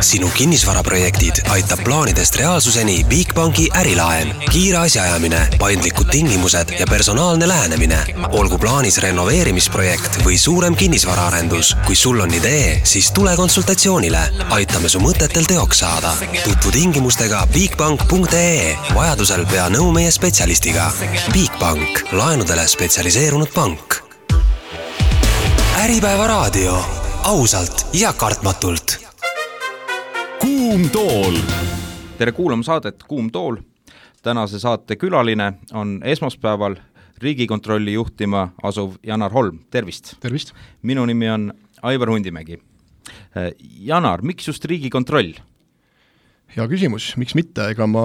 Sinu kinnisvaraprojektid aitab plaanidest reaalsuseni Bigbanki ärilaen. Kiire asjaajamine, paindlikud tingimused ja personaalne lähenemine. Olgu plaanis renoveerimisprojekt või suurem kinnisvaraarendus. Kui sul on idee, siis tule konsultatsioonile. Aitame su mõtetel teoks saada. Tutvu tingimustega bigbank.ee. Vajadusel pea nõu meie spetsialistiga. Bigbank, laenudele spetsialiseerunud pank. Äripäeva raadio. Ausalt ja kartmatult. Kuum tool. Tere kuulama saadet Kuum tool. Tänase saate külaline on esmaspäeval Riigikontrolli juhtima asuv Janar Holm. Tervist! Tervist! Minu nimi on Aivar Hundimägi. Janar, miks just Riigikontroll? Hea küsimus, miks mitte? Ega ma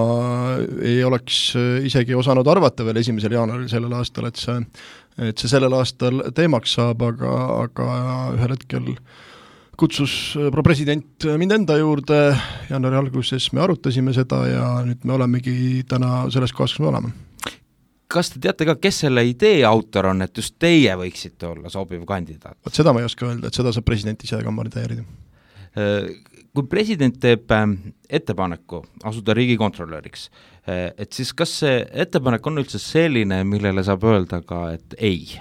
ei oleks isegi osanud arvata veel 1. jaanuaril sellel aastal, et see sellel aastal teemaks saab, aga ühel hetkel kutsus president mind enda juurde, jaanuari alguses me arutasime seda ja nüüd me olemegi täna selles kohas, kus me oleme. Kas te teate ka, kes selle idee autor on, et just teie võiksite olla sobiv kandidaat? Seda ma ei oska öelda, et seda saab president ise kandideerida. Kui president teeb ettepaneku asuda riigikontrolöriks, et siis kas see ettepanek on üldse selline, millele saab öelda ka, et ei?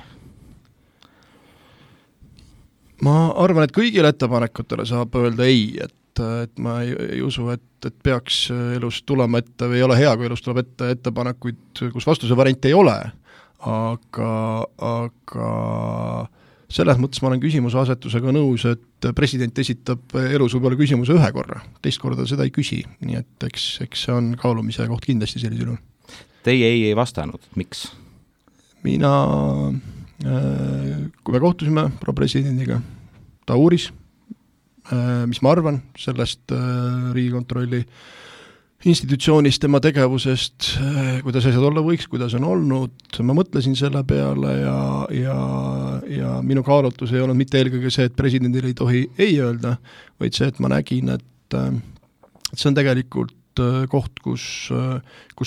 Ma arvan, et kõigile ettepanekutele saab öelda ei, et ma ei usu, et peaks elus tulema ette või ei ole hea, kui elus tuleb ette ettepanekuid, kus vastuse variante ei ole, aga selles mõttes ma olen küsimuse asetusega nõus, et president esitab elus võib-olla küsimuse ühe korra, teist korda seda ei küsi, nii et eks see on kaalumise koht kindlasti sellisel juhul. Teie ei vastanud, miks? Mina, kui me kohtusime presidendiga, ta uuris, mis ma arvan sellest Riigikontrolli institutsioonist, tema tegevusest, kuidas asjad olla võiks, kuidas on olnud, ma mõtlesin selle peale ja minu kaalutlus ei olnud mitte eelkõige see, et presidendil ei tohi ei öelda, vaid see, et ma nägin, et see on tegelikult koht, kus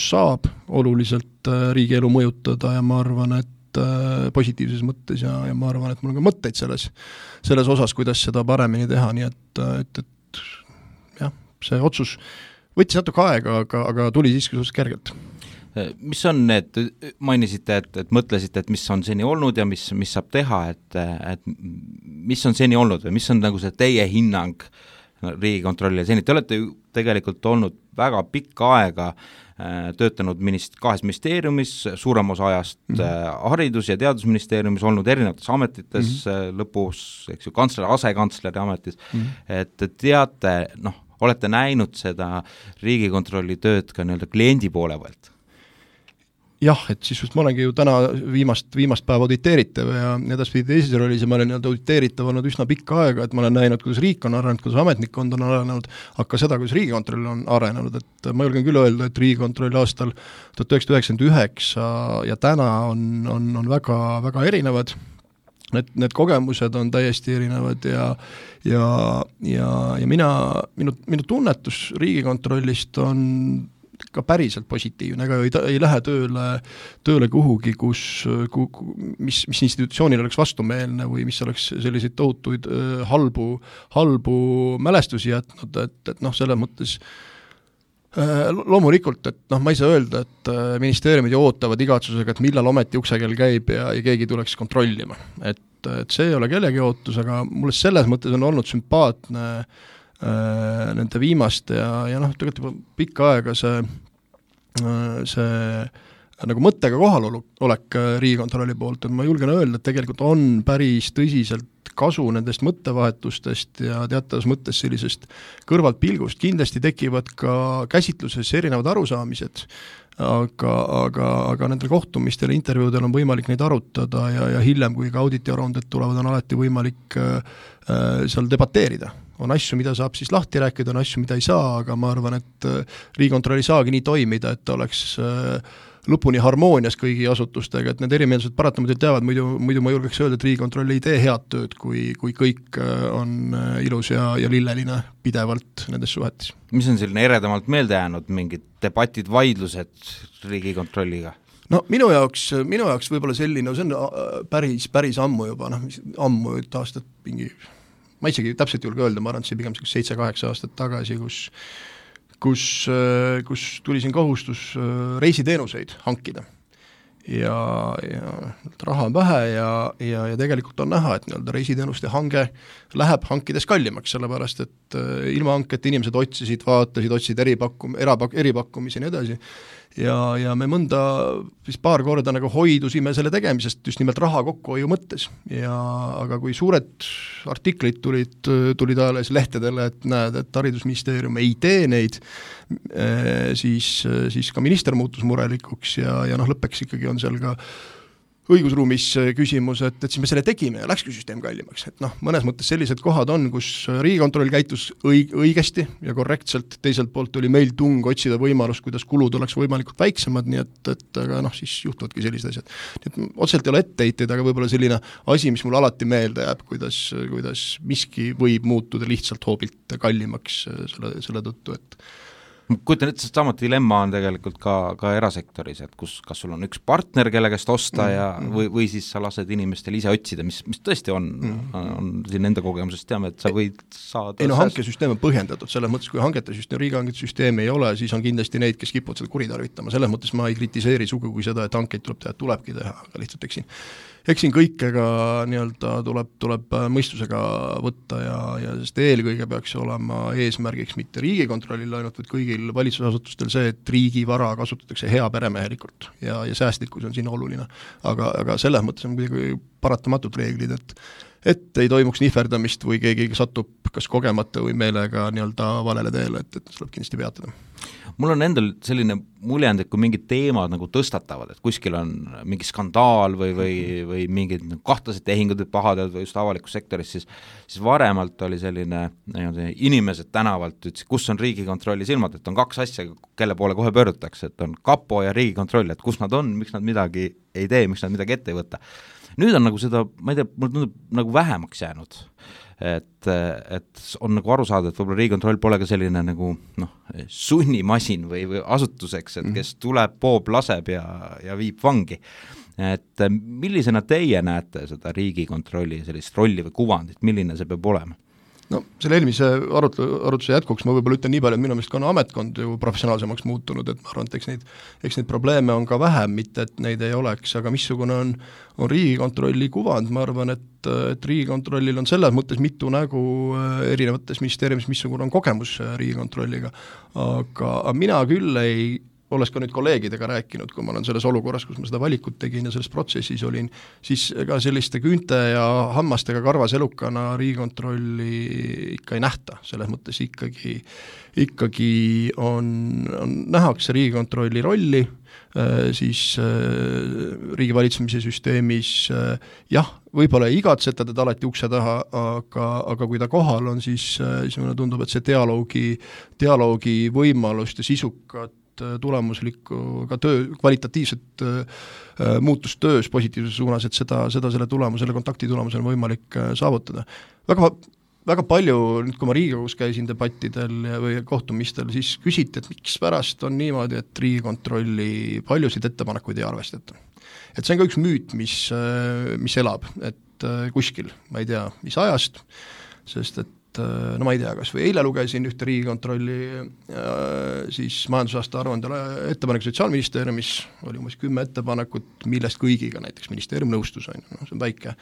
saab oluliselt riigielu mõjutada ja ma arvan, et positiivses mõttes ja ma arvan, et mul on ka mõtteid selles osas, kuidas seda paremini teha, nii et jah, see otsus võttis natuke aega, aga tuli siiski suhteliselt kergelt. Mis on need, mainisite, et mõtlesite, et mis on seni olnud ja mis saab teha, et mis on seni olnud või mis on nagu see teie hinnang Riigikontrollile seni? Te olete ju tegelikult olnud väga pikka aega töötanud kahes ministeeriumis, suurem osa ajast haridus- ja teadusministeeriumis, olnud erinevates ametites, lõpus, eks ju, kantsler, asekantsleri ametis, et teate, olete näinud seda Riigikontrolli tööd ka nii-öelda kliendi poole pealt? Jah, et siis just ma olengi ju täna viimast päeva auditeeritav ja edaspidi teises rollis ja ma olen nii-öelda auditeeritav olnud üsna pikka aega, et ma olen näinud, kuidas riik on arenenud, kuidas ametnikkond on arenenud, aga seda, kuidas Riigikontroll on arenenud, et ma julgen küll öelda, et Riigikontroll aastal 1999 ja täna on väga, väga erinevad. Need kogemused on täiesti erinevad ja minu tunnetus Riigikontrollist on ka päriselt positiivne, ega ei lähe tööle kuhugi, mis institutsioonil oleks vastumeelne või mis oleks selliseid tohutuid halbu mälestusi jätnud, et selles mõttes loomulikult, et ma ei saa öelda, et ministeeriumid ootavad igatsusega, et millal ometi uksekell käib ja keegi tuleks kontrollima. Et see ei ole kellegi ootus, aga mulle selles mõttes on olnud sümpaatne nende viimaste ja tegelikult juba pikka aega see nagu mõttega kohalolek Riigikontrolli poolt, et ma julgen öelda, et tegelikult on päris tõsiselt kasu nendest mõttevahetustest ja teatavas mõttes sellisest kõrvaltpilgust. Kindlasti tekivad ka käsitluses erinevad arusaamised, aga nendel kohtumistel ja intervjuudel on võimalik neid arutada ja hiljem, kui ka auditiaruanded tulevad, on alati võimalik seal debateerida. On asju, mida saab siis lahti rääkida, on asju, mida ei saa, aga ma arvan, et Riigikontroll ei saagi nii toimida, et ta oleks lõpuni harmoonias kõigi asutustega, et need erimeelsused paratamatult jäävad, muidu ma julgeks öelda, et Riigikontroll ei tee head tööd, kui kõik on ilus ja lilleline pidevalt nendes suhetes. Mis on selline eredamalt meelde jäänud, mingid debatid, vaidlused Riigikontrolliga? No minu jaoks võib-olla selline, see on päris ammu juba, ammu aastat mingi ma isegi täpselt julge öelda, ma arvan, et see pigem 7-8 aastat tagasi, kus tuli siin kohustus reisiteenuseid hankida. Ja raha on vähe ja tegelikult on näha, et reisiteenuste hange läheb hankides kallimaks, sellepärast et ilma hanketa inimesed otsisid eripakkumisi ja nii edasi. Ja me mõnda paar korda nagu hoidusime selle tegemisest just nimelt raha kokkuhoiu mõttes. Aga kui suured artiklid tulid ajales lehtedele, et näed, et haridusministeerium ei tee neid, siis ka minister muutus murelikuks ja lõppeks ikkagi on seal ka õigusruumis küsimus, et siis me selle tegime ja läkski süsteem kallimaks. Et mõnes mõttes sellised kohad on, kus Riigikontroll käitus õigesti ja korrektselt, teiselt poolt oli meil tung otsida võimalust, kuidas kulud oleks võimalikult väiksemad, nii et aga siis juhtuvadki sellised asjad. Nii et otseselt ei ole etteheiteid, aga võib-olla selline asi, mis mul alati meelde jääb, kuidas miski võib muutuda lihtsalt hoobilt kallimaks selle tõttu, et kujutan ette, sama dilemma on tegelikult ka erasektoris, et kas sul on üks partner, kelle käest osta või siis sa lased inimestel ise otsida, mis tõesti on siin enda kogemusest teame, et sa võid saada hankesüsteem on põhjendatud, selles mõttes, kui riigihangete süsteem ei ole, siis on kindlasti neid, kes kipuvad seda kuritarvitama, selles mõttes ma ei kritiseeri sugugi seda, et hankeid tulebki teha, aga lihtsalt eksin kõikega tuleb mõistusega võtta ja sest eelkõige peaks olema eesmärgiks mitte Riigikontrollil ainult, vaid kõigil valitsusasutustel see, et riigi vara kasutatakse hea peremehelikult ja säästlikkus on siin oluline. Aga selles mõttes on kuidagi paratamatult reeglid, et ei toimuks nihverdamist või keegi satub kas kogemata või meelega valele teele, et tuleb kindlasti peatada. Mul on endal selline muljend, et kui mingid teemad nagu tõstatavad, et kuskil on mingi skandaal või mingid kahtlased tehingud või pahateod või just avalikus sektoris, siis varemalt oli selline inimesed tänavalt ütlesid, kus on Riigikontrolli silmad, et on 2 asja, kelle poole kohe pöördutakse, et on kapo ja Riigikontroll, et kus nad on, miks nad midagi ei tee, miks nad midagi ette ei võta. Nüüd on nagu seda, ma ei tea, mul tundub nagu vähemaks jäänud, et on nagu aru saada, et võib-olla Riigikontroll pole ka selline nagu sunnimasin või asutuseks, et kes tuleb, poob, laseb ja viib vangi. Et millisena teie näete seda Riigikontrolli sellist rolli või kuvandit, milline see peab olema? Selle eelmise arutluse jätkuks ma võib-olla ütlen nii palju, et minu meelest ka on ametkond ju professionaalsemaks muutunud, et ma arvan, et eks neid probleeme on ka vähem, mitte et neid ei oleks, aga missugune on Riigikontrolli kuvand, ma arvan, et Riigikontrollil on selles mõttes mitu nägu erinevates ministeeriumis, missugune on kogemus Riigikontrolliga, aga mina küll olles ka nüüd kolleegidega rääkinud, kui ma olen selles olukorras, kus ma seda valikut tegin ja selles protsessis olin, siis ega selliste küünte ja hammastega karvas elukana Riigikontrolli ikka ei nähta, selles mõttes ikkagi on nähakse Riigikontrolli rolli, siis riigivalitsemise süsteemis võib-olla ei igatseta teda alati ukse taha, aga kui ta kohal on, siis mulle tundub, et see dialoogi võimalust ja sisukat tulemuslikku ka kvalitatiivset muutust töös positiivses suunas, et seda selle kontakti tulemusel on võimalik saavutada. Väga palju, nüüd kui ma Riigikogus käisin debattidel või kohtumistel, siis küsiti, et miks pärast on niimoodi, et Riigikontrolli paljusid ettepanekuid ei arvestata. Et see on ka üks müüt, mis elab, et kuskil, ma ei tea, mis ajast, sest et ma ei tea, kas või eile lugesin ühte Riigikontrolli siis majandusaasta aruandele ettepaneku Sotsiaalministeeriumis, oli umbes 10 ettepanekut, millest kõigiga näiteks ministeerium nõustus, see on väike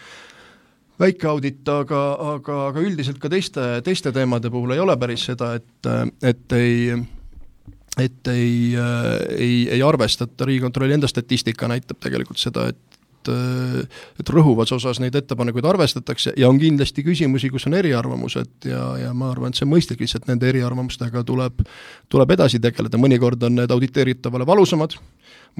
audit, aga üldiselt ka teiste teemade puhul ei ole päris seda, et ei arvestata. Riigikontrolli enda statistika näitab tegelikult seda, et rõhuvas osas neid ettepanekuid arvestatakse ja on kindlasti küsimusi, kus on eriarvamused ja ma arvan, et see mõistlik lihtsalt nende eriarvamustega tuleb edasi tegeleda, mõnikord on need auditeeritavale valusamad,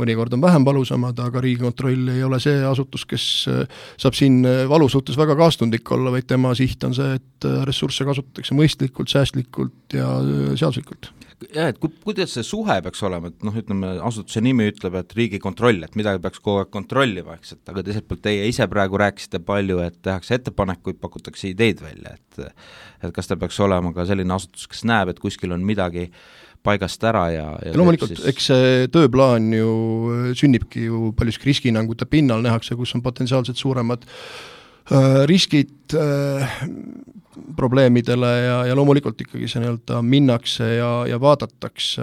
mõnikord on vähem valusamad, aga Riigikontroll ei ole see asutus, kes saab siin valu suhtes väga kaastundlik olla, vaid tema siht on see, et ressursse kasutatakse mõistlikult, säästlikult ja seaduslikult. Ja, et kuidas see suhe peaks olema, et ütleme, asutuse nimi ütleb, et Riigikontroll, et midagi peaks kogu aeg kontrollima, aga teiselt poolt teie ise praegu rääkisite palju, et tehakse ettepanekuid, pakutakse ideid välja, et kas ta peaks olema ka selline asutus, kes näeb, et kuskil on midagi paigast ära ja loomulikult, eks see tööplaan ju sünnibki ju paljuski riskihinnangute pinnal nähakse, kus on potentsiaalselt suuremad riskid, probleemidele ja loomulikult ikkagi see nii-öelda minnakse ja vaadatakse,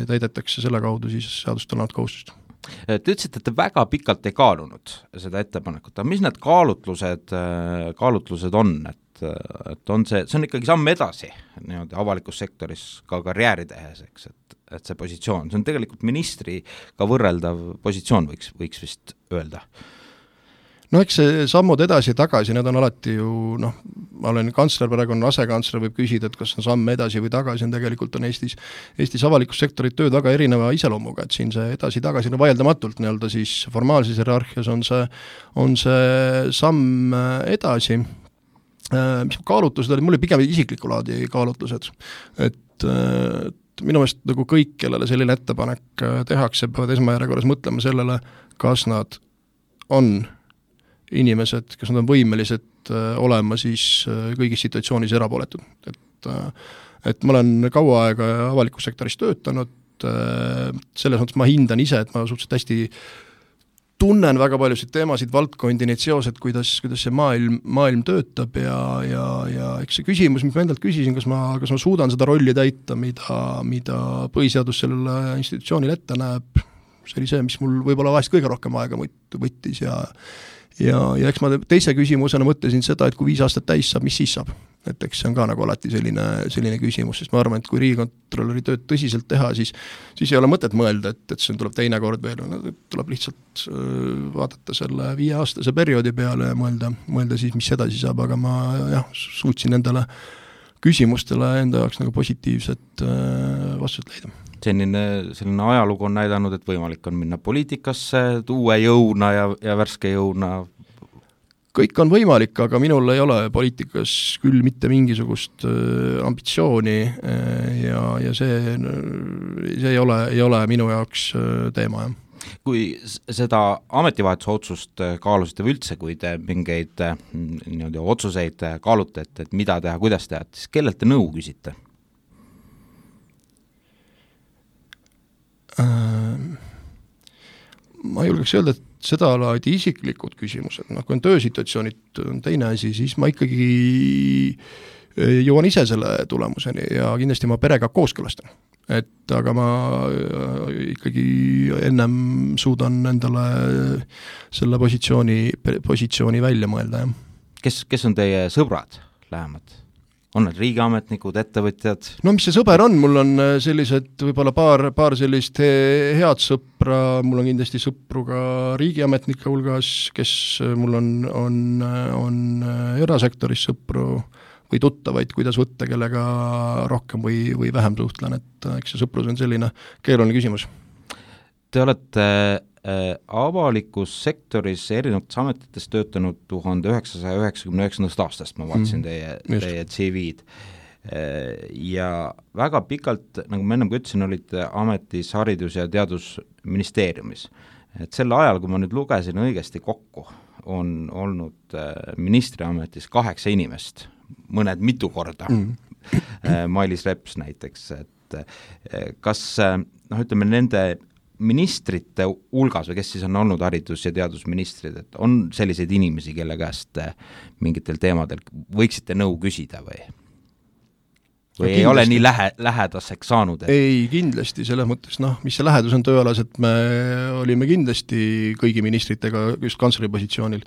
täidetakse selle kaudu siis seadust olevat kohustust. Te ütlesite, et te väga pikalt ei kaalunud seda ettepanekut, aga mis need kaalutlused on, et on see on ikkagi samm edasi niimoodi avalikus sektoris ka karjääri tehes, eks, et see positsioon, see on tegelikult ministriga võrreldav positsioon, võiks vist öelda. No eks see sammud edasi ja tagasi, need on alati ju, ma olen kantsler, praegu on asekantsler, võib küsida, et kas on samm edasi või tagasi, on tegelikult on Eestis avalikus sektorit tööd väga erineva iseloomuga, et siin see edasi-tagasi vaieldamatult nii-öelda siis formaalses hierarhias on see samm edasi. Mis kaalutlused olid, mul oli pigem isikliku laadi kaalutlused, et minu meelest nagu kõik, kellele selline ettepanek tehakse, peavad esmajärjekorras mõtlema sellele, kas nad on inimesed, kes nad on võimelised olema siis kõigis situatsioonis erapooletud. Et ma olen kaua aega avalikus sektoris töötanud, selles mõttes ma hindan ise, et ma suhteliselt hästi tunnen väga paljusid teemasid, valdkondi, neid seosed, kuidas see maailm töötab ja eks see küsimus, mis ma endalt küsisin, kas ma suudan seda rolli täita, mida põhiseadus sellele institutsioonile ette näeb, see oli see, mis mul võib-olla vahest kõige rohkem aega võttis ja eks ma teise küsimusena mõtlesin seda, et kui 5 aastat täis saab, mis siis saab? Et eks see on ka nagu alati selline küsimus, sest ma arvan, et kui riigikontrolöri tööd tõsiselt teha, siis ei ole mõtet mõelda, et see tuleb teine kord veel, tuleb lihtsalt vaadata selle 5-aastase perioodi peale ja mõelda siis, mis edasi saab, aga ma suutsin endale küsimustele enda jaoks nagu positiivset vastust leida. Selline ajalugu on näidanud, et võimalik on minna poliitikasse uue jõuna ja värske jõuna. Kõik on võimalik, aga minul ei ole poliitikas küll mitte mingisugust ambitsiooni ja see ei ole minu jaoks teema. Kui seda ametivahetuse otsust kaalusite või üldse, kui te mingeid otsuseid kaalute, et mida teha, kuidas teha, siis kellelt te nõu küsite? Ma julgeks öelda, et seda laadi isiklikud küsimused, kui on töösituatsioonid on teine asi, siis ma ikkagi jõuan ise selle tulemuseni ja kindlasti ma perega kooskõlastan. Aga ma ikkagi ennem suudan endale selle positsiooni välja mõelda. Kes on teie sõbrad lähemad? On need riigiametnikud, ettevõtjad? No mis see sõber on? Mul on sellised võib-olla paar sellist head sõpra, mul on kindlasti sõpru ka riigiametnike hulgas, kes mul on erasektoris sõpru või tuttavaid, kuidas võtta, kellega rohkem või vähem suhtlen, et eks see sõprus on selline keeruline küsimus. Te olete avalikus sektoris erinevates ametites töötanud 1999. aastast, ma vaatasin teie CV-d ja väga pikalt, nagu ma ennem ütlesin, olite ametis Haridus- ja Teadusministeeriumis. Et selle ajal, kui ma nüüd lugesin õigesti kokku, on olnud ministriametis 8 inimest, mõned mitu korda, Mailis Reps näiteks, et kas ütleme nende ministrite hulgas või kes siis on olnud haridus- ja teadusministrid, et on selliseid inimesi, kelle käest mingitel teemadel võiksite nõu küsida või ei ole nii lähedaseks saanud? Ei, kindlasti, selles mõttes, mis see lähedus on tööalas, et me olime kindlasti kõigi ministritega just kantsleri positsioonil,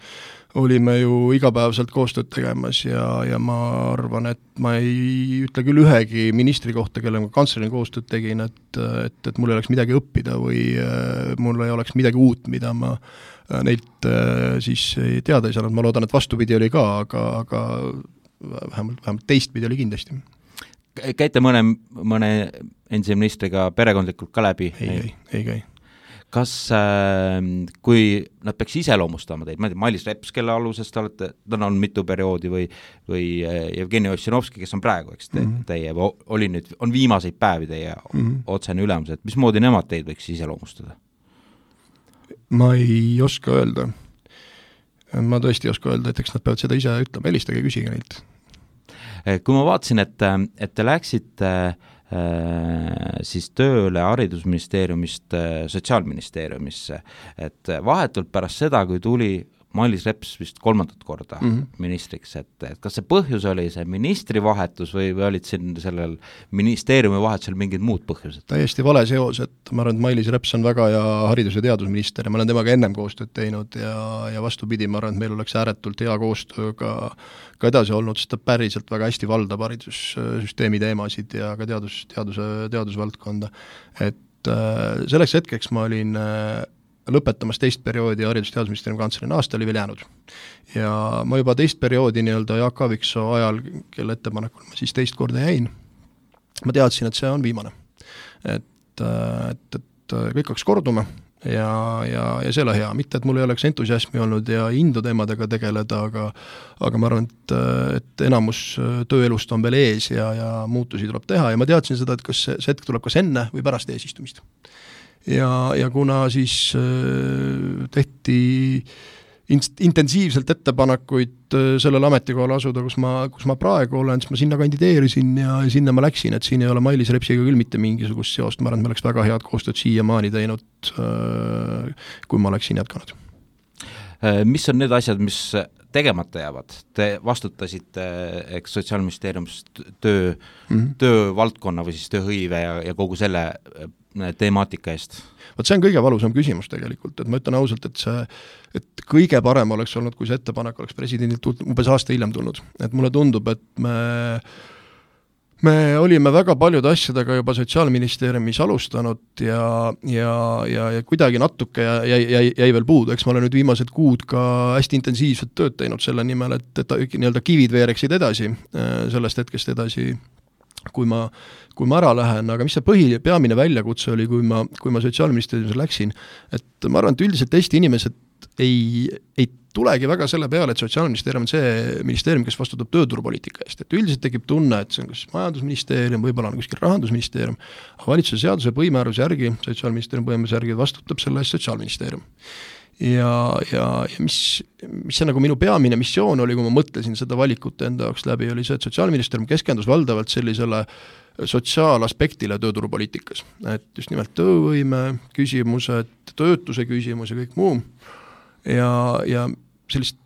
olime ju igapäevaselt koostööd tegemas ja ma arvan, et ma ei ütle küll ühegi ministri kohta, kelle ma kantslerina koostööd tegin, et mul ei oleks midagi õppida või mul ei oleks midagi uut, mida ma neilt siis teada ei saanud. Ma loodan, et vastupidi oli ka, aga vähemalt teistpidi oli kindlasti. Käite mõne endise ministriga perekondlikult ka läbi? Ei käi. Kas, kui nad peaks iseloomustama teid, ma ei tea, Mailis Reps, kelle aluses te olete, ta on mitu perioodi või Jevgeni Ossinovski, kes on praegu, eks teie, on viimaseid päevi teie otsene ülemus, et mismoodi nemad teid võiks iseloomustada? Ma ei oska öelda. Ma tõesti ei oska öelda, et eks nad peavad seda ise ütlema, helistage küsige neilt. Kui ma vaatasin, et te läksite siis tööle haridusministeeriumist Sotsiaalministeeriumisse, et vahetult pärast seda, kui tuli Mailis Reps vist 3. korda ministriks, et kas see põhjus oli see ministri vahetus või olid siin sellel ministeeriumi vahetusel mingid muud põhjused? Täiesti vale seos, et ma arvan, et Mailis Reps on väga hea haridus- ja teadusminister ja ma olen temaga ennem koostööd teinud ja vastupidi, ma arvan, et meil oleks ääretult hea koostöö ka edasi olnud, sest ta päriselt väga hästi valdab haridussüsteemi teemasid ja ka teadusvaldkonda. Et selleks hetkeks ma olin lõpetamas teist perioodi haridus- ja teadusministeeriumi kantslerina, aasta oli veel jäänud. Ja ma juba teist perioodi Jaak Aaviksoo ajal, kelle ettepanekul ma siis teist korda jäin, ma teadsin, et see on viimane. Et kõik hakkas korduma ja see oli hea, mitte et mul ei oleks entusiasmi olnud ja indu teemadega tegeleda, aga ma arvan, et enamus tööelust on veel ees ja muutusi tuleb teha ja ma teadsin seda, et kas see hetk tuleb kas enne või pärast eesistumist. Ja kuna siis tehti intensiivselt ettepanekuid sellele ametikohale asuda, kus ma praegu olen, siis ma sinna kandideerisin ja sinna ma läksin, et siin ei ole Mailis Repsiga küll mitte mingisugust seost, ma arvan, et me oleks väga head koostööd siiamaani teinud, kui ma oleksin jätkanud. Mis on need asjad, mis tegemata jäävad? Te vastutasite Sotsiaalministeeriumis töövaldkonna või siis tööhõive ja kogu selle temaatika eest? Vot see on kõige valusam küsimus tegelikult, et ma ütlen ausalt, et kõige parem oleks olnud, kui see ettepanek oleks presidendilt umbes aasta hiljem tulnud. Et mulle tundub, et me olime väga paljude asjadega juba Sotsiaalministeeriumis alustanud ja kuidagi natuke jäi veel puudu, eks ma olen nüüd viimased kuud ka hästi intensiivset tööd teinud selle nimel, et nii-öelda kivid veereksid edasi, sellest hetkest edasi, kui ma ära lähen, aga mis see peamine väljakutse oli, kui ma Sotsiaalministeeriumis läksin, et ma arvan, et üldiselt Eesti inimesed ei tulegi väga selle peale, et Sotsiaalministeerium on see ministeerium, kes vastutab tööturupoliitika eest, et üldiselt tekib tunne, et see on kas majandusministeerium, võib-olla on kuskil rahandusministeerium, aga valitsuse seaduse põhimääruse järgi, Sotsiaalministeerium põhimääruse järgi vastutab selle eest Sotsiaalministeerium. Ja mis see nagu minu peamine missioon oli, kui ma mõtlesin seda valikut enda jaoks läbi, oli see, et Sotsiaalministeerium keskendus valdavalt sellisele sotsiaalaspektile tööturupoliitikas, et just nimelt töövõime küsimused, töötuse küsimus ja kõik muu ja sellist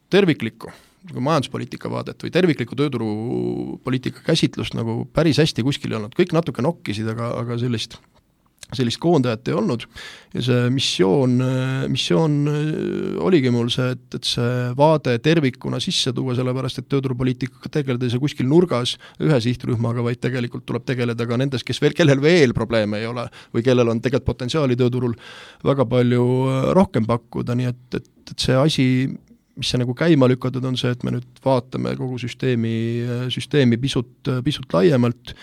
terviklikku majanduspoliitika vaadet või terviklikku tööturupoliitika käsitlust nagu päris hästi kuskil ei olnud, kõik natuke nokkisid, aga sellist koondajat ei olnud ja see missioon oligi mul see, et see vaade tervikuna sisse tuua, sellepärast, et tööturupoliitikaga tegeleda ei saa kuskil nurgas ühe sihtrühmaga, vaid tegelikult tuleb tegeleda ka nendes, kellel veel probleeme ei ole või kellel on tegelikult potentsiaali tööturul väga palju rohkem pakkuda, nii et see asi, mis see nagu käima lükatud on see, et me nüüd vaatame kogu süsteemi pisut laiemalt,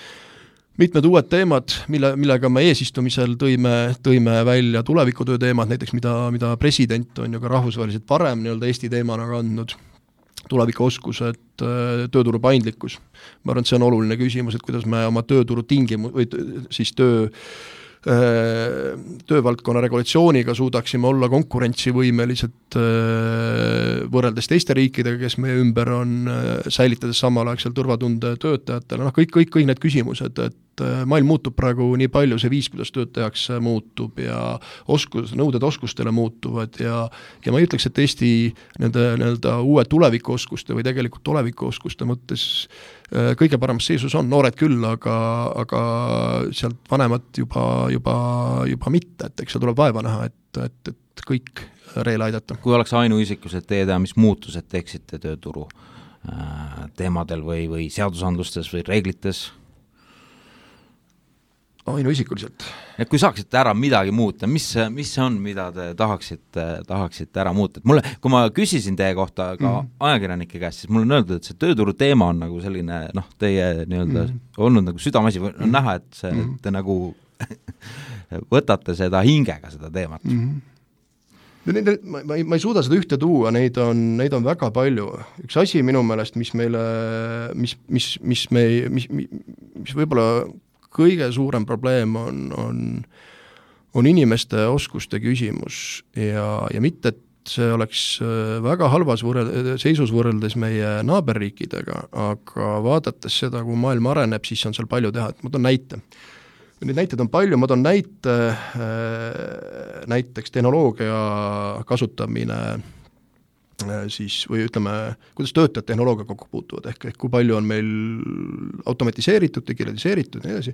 mitmed uued teemad, millega me eesistumisel tõime välja tulevikutöö teemad, näiteks mida president on ju ka rahvusvaheliselt varem nii-öelda Eesti teemana kandnud, tulevikuoskused, tööturu paindlikkus. Ma arvan, et see on oluline küsimus, et kuidas me oma tööturu või siis töövaldkonna regulatsiooniga suudaksime olla konkurentsivõimelised võrreldes teiste riikidega, kes meie ümber on, säilitades samal aeg seal turvatunde töötajatele, kõik need küsimused, et maailm muutub praegu nii palju, see viis, kuidas tööd tehakse, muutub ja nõuded oskustele muutuvad ja ma ei ütleks, et Eesti nende uue tulevikuoskuste või tegelikult tulevikuoskuste mõttes kõige paremas seisus on, noored küll, aga sealt vanemad juba mitte, et eks see tuleb vaeva näha, et kõik reele aidata. Kui oleks ainuisikus, et teie mis muutused teeksite tööturu teemadel või seadusandlustes või reeglites? Ainuisikuliselt. Ja kui saaksite ära midagi muuta, mis see on, mida te tahaksite ära muuta? Kui ma küsisin teie kohta ka ajakirjanike käest, siis mul on öeldud, et see tööturu teema on nagu selline, teie nii-öelda olnud nagu südamasi, on näha, et te nagu võtate seda hingega, seda teemat. Ma ei suuda seda ühte tuua, neid on väga palju. Üks asi minu meelest, mis võib-olla kõige suurem probleem on inimeste oskuste küsimus ja mitte, et see oleks väga halvas seisus võrreldes meie naaberriikidega, aga vaadates seda, kui maailm areneb, siis on seal palju teha, et ma toon näite. Neid näiteid on palju, ma toon näiteks tehnoloogia kasutamine siis või ütleme, kuidas töötajad tehnoloogia kokku puutuvad, ehk kui palju on meil automatiseeritud, digitaliseeritud ja nii edasi.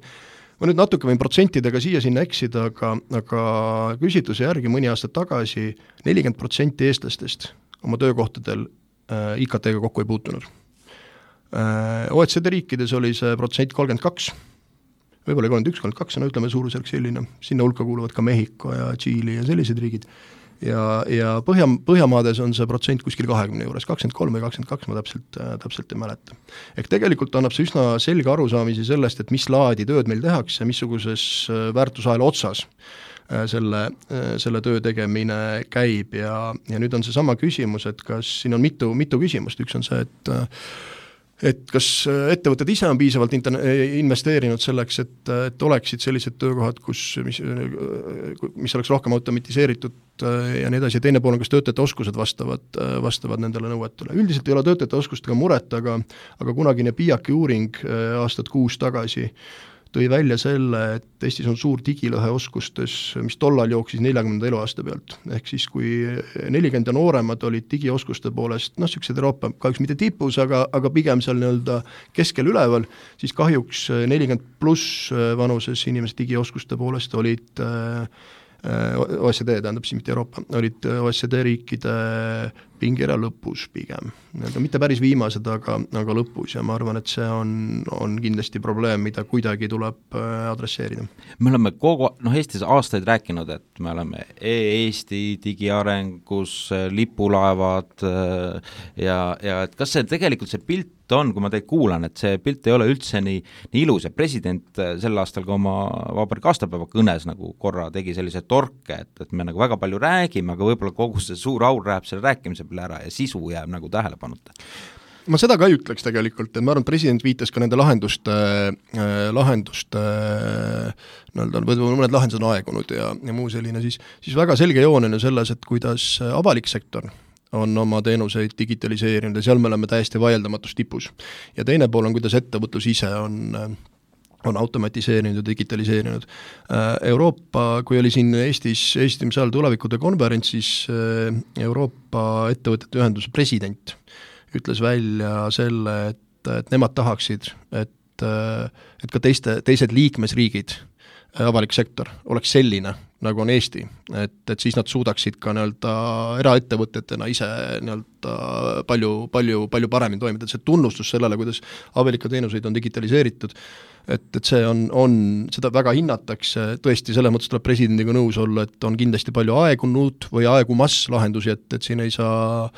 Ma nüüd natuke võin protsentidega siia-sinna eksida, aga küsitluse järgi mõni aasta tagasi 40% eestlastest oma töökohtadel IKT-ga kokku ei puutunud. OECD riikides oli see protsent 32, võib-olla 31, 32, no ütleme suurusjärk selline, sinna hulka kuuluvad ka Mehhiko ja Tšiili ja sellised riigid. Ja Põhjamaades on see protsent kuskil 20 juures, 23 või 22, ma täpselt ei mäleta. Ehk tegelikult annab see üsna selge arusaamisi sellest, et mis laadi tööd meil tehakse, missuguses väärtusahela otsas selle töö tegemine käib ja nüüd on see sama küsimus, et kas siin on mitu küsimust, üks on see, et kas ettevõtted ise on piisavalt investeerinud selleks, et oleksid sellised töökohad, mis oleks rohkem automatiseeritud ja nii edasi, ja teine pool on, kas töötajate oskused vastavad nendele nõuetele. Üldiselt ei ole töötajate oskustega muret, aga kunagine PIAC-i uuring aastat 6 tagasi tõi välja selle, et Eestis on suur digilõhe oskustes, mis tollal jooksis 40. eluaasta pealt. Ehk siis, kui 40 ja nooremad olid digioskuste poolest, sellised Euroopa kahjuks mitte tipus, aga pigem seal nii-öelda keskel üleval, siis kahjuks 40 pluss vanuses inimesed digioskuste poolest olid OECD, tähendab siis mitte Euroopa, olid OECD riikide pingera lõpus pigem. Mitte päris viimased, aga lõpus ja ma arvan, et see on kindlasti probleem, mida kuidagi tuleb adresseerida. Me oleme Eestis aastaid rääkinud, et me oleme Eesti digiarengus, lipulaevad ja et kas see tegelikult see pilt on, kui ma teid kuulan, et see pilt ei ole üldse nii ilus ja president sel aastal ka oma vabariigi aastapäeva kõnes nagu korra tegi sellise torke, et me nagu väga palju räägime, aga võib-olla kogu see suur aur läheb selle rääkimise peale ära ja sisu jääb nagu tähelepanuta. Ma seda ka ei ütleks tegelikult, et ma arvan, et president viitas ka nende lahenduste mõned lahendused on aegunud ja muu selline, siis väga selge joon on ju selles, et kuidas avalik sektor on oma teenuseid digitaliseerinud ja seal me oleme täiesti vaieldamatus tipus. Ja teine pool on, kuidas ettevõtlus ise on automatiseerinud ja digitaliseerinud. Euroopa, kui oli siin Eestis tulevikude konverents, siis Euroopa ettevõtete ühenduse president ütles välja selle, et nemad tahaksid, et ka teised liikmesriigid, avalik sektor, oleks selline, nagu on Eesti, et siis nad suudaksid ka eraettevõtetena ise palju paremini toimida, et see tunnustus sellele, kuidas avalikke teenuseid on digitaliseeritud, et see on, seda väga hinnatakse, tõesti selles mõttes tuleb presidendiga nõus olla, et on kindlasti palju aegunud või aegumas lahendusi, et siin ei saa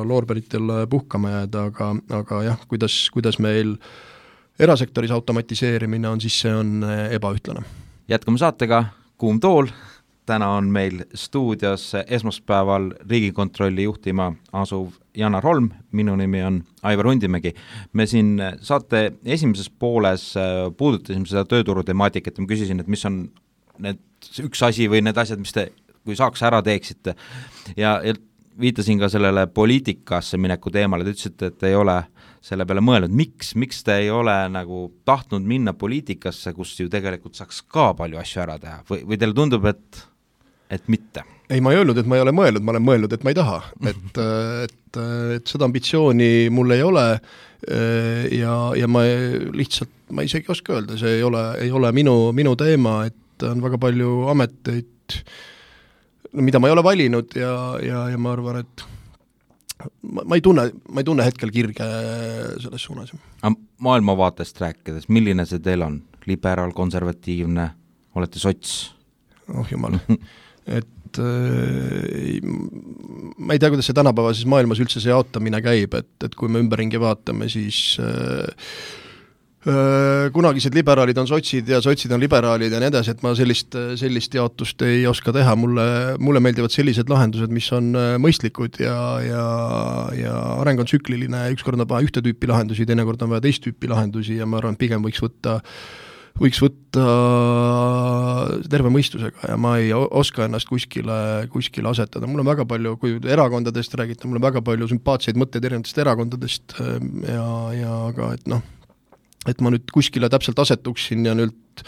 loorberitel puhkama jääda, aga jah, kuidas meil erasektoris automatiseerimine on, siis see on ebaühtlane. Jätkame saatega Kuum tool. Täna on meil stuudios esmaspäeval Riigikontrolli juhtima asuv Janar Holm, minu nimi on Aivar Hundimägi. Me siin saate esimeses pooles puudutasime seda tööturu temaatikat ja ma küsisin, et mis on need üks asi või need asjad, mis te, kui saaks ära teeksite ja viitasin ka sellele poliitikasse mineku teemale, te ütlesite, et ei ole selle peale mõelnud. Miks te ei ole nagu tahtnud minna poliitikasse, kus ju tegelikult saaks ka palju asju ära teha või teile tundub, et mitte? Ei, ma ei öelnud, et ma ei ole mõelnud, ma olen mõelnud, et ma ei taha. Et seda ambitsiooni mul ei ole ja ma lihtsalt, ma isegi oska öelda, see ei ole minu teema, et on väga palju ameteid, mida ma ei ole valinud ja ma arvan, et ma ei tunne hetkel kirge selles suunas. Maailmavaatest rääkides, milline see teil on? Liberaal, konservatiivne, olete sots? Oh jumal, et ma ei tea, kuidas see tänapäevases maailmas üldse see jaotamine käib, et kui me ümberringi vaatame, siis kunagised liberaalid on sotsid ja sotsid on liberaalid ja nii edasi, et ma sellist jaotust ei oska teha, mulle meeldivad sellised lahendused, mis on mõistlikud ja areng on tsükliline, ükskord on vaja ühte tüüpi lahendusi, teinekord on vaja teist tüüpi lahendusi ja ma arvan, et pigem võiks võtta terve mõistusega ja ma ei oska ennast kuskile asetada. Mul on väga palju, kui erakondadest räägite, mul on väga palju sümpaatseid mõtteid erinevatest erakondadest ja aga et ma nüüd kuskile täpselt asetuksin ja nüüd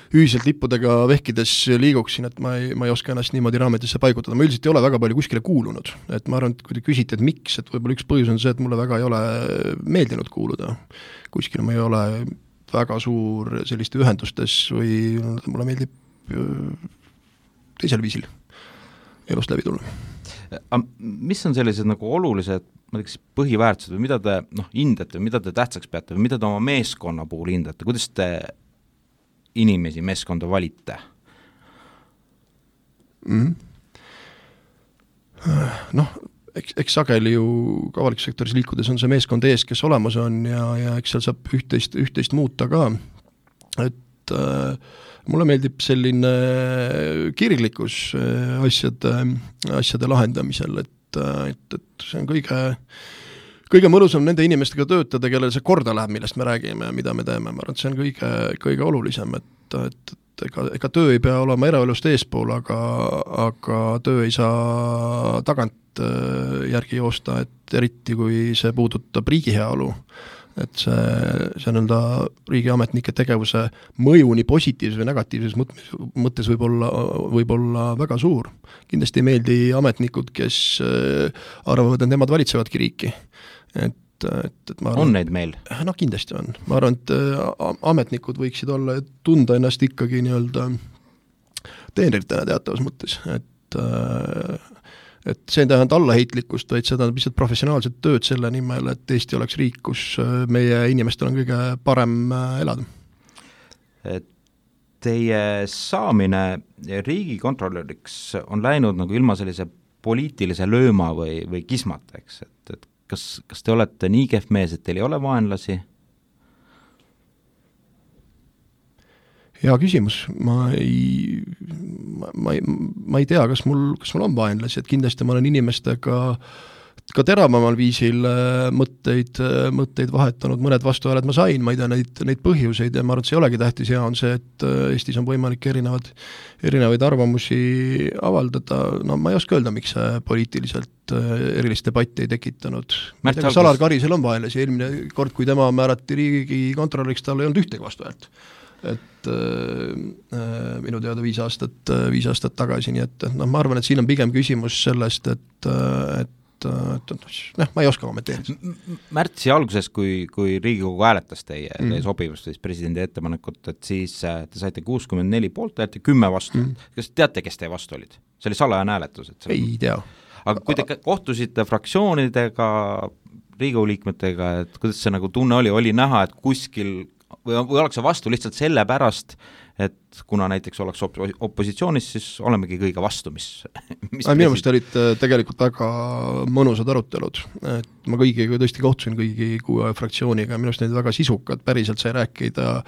ühiselt lippudega vehkides liiguksin, et ma ei oska ennast niimoodi raametisse paigutada, ma üldiselt ei ole väga palju kuskile kuulunud, et ma arvan, et kui te küsite, et miks, et võib-olla üks põhjus on see, et mulle väga ei ole meeldinud kuuluda kuskile, ma ei ole väga suur selliste ühendustes või mulle meeldib teisel viisil elust läbi tulla. Mis on sellised nagu olulised põhiväärtused või mida te hindate või mida te tähtsaks peate või mida te oma meeskonna puhul hindate, kuidas te inimesi meeskonda valite? Eks sageli ju avalikus sektoris liikudes on see meeskond ees, kes olemas on ja eks seal saab üht-teist muuta ka, et mulle meeldib selline kirglikkus asjade lahendamisel, et see on kõige mõnusam nende inimestega töötada, kellele see korda läheb, millest me räägime ja mida me teeme, ma arvan, et see on kõige olulisem, et ega töö ei pea olema eraelust eespool, aga töö ei saa tagant järgi joosta, et eriti kui see puudutab riigi heaolu, et see nõnda riigiametnike tegevuse mõju nii positiivses või negatiivses mõttes võib olla väga suur. Kindlasti ei meeldi ametnikud, kes arvavad, et nemad valitsevadki riiki. Et ma arvan, on neid meil? No kindlasti on. Ma arvan, et ametnikud võiksid olla, tunda ennast ikkagi nii-öelda teenritena teatavas mõttes, et see ei tähenda allaheitlikkust, vaid seda on lihtsalt professionaalset tööd selle nimel, et Eesti oleks riik, kus meie inimestel on kõige parem elada. Teie saamine riigikontrolöriks on läinud nagu ilma sellise poliitilise lööma või kismata, eks, et kas te olete nii kehv mees, et teil ei ole vaenlasi? Hea küsimus, ma ei tea, kas mul on vaenlasi, et kindlasti ma olen inimestega ka teravamal viisil mõtteid vahetanud, mõned vastuhääled ma sain, ma ei tea neid põhjuseid ja ma arvan, et see ei olegi tähtis, hea on see, et Eestis on võimalik erinevaid arvamusi avaldada, no ma ei oska öelda, miks see poliitiliselt erilist debatti ei tekitanud. Salar Karisel on vaenlasi, eelmine kord, kui tema määrati riigikontrolöriks, tal ei olnud ühtegi vastuhäält. Et minu teada 5 aastat tagasi, nii et ma arvan, et siin on pigem küsimus sellest, et ma ei oska kommenteerida. Märtsi alguses, kui Riigikogu hääletas teie sobivust presidendi ettepanekut, et siis te saite 64 poolt häält ja 10 vastu. Kas teate, kes teie vastu olid? See oli salajane hääletus. Ei tea. Aga kui te kohtusite fraktsioonidega, Riigikogu liikmetega, et kuidas see nagu tunne oli näha, et kuskil või oleks see vastu lihtsalt selle pärast, et kuna näiteks oleks opositsioonis, siis olemegi kõige vastu, mis minu meelest olid tegelikult väga mõnusad arutelud. Et ma kõigiga tõesti kohtusin kõigi 6 fraktsiooniga ja minu arust neid väga sisukad, päriselt sai rääkida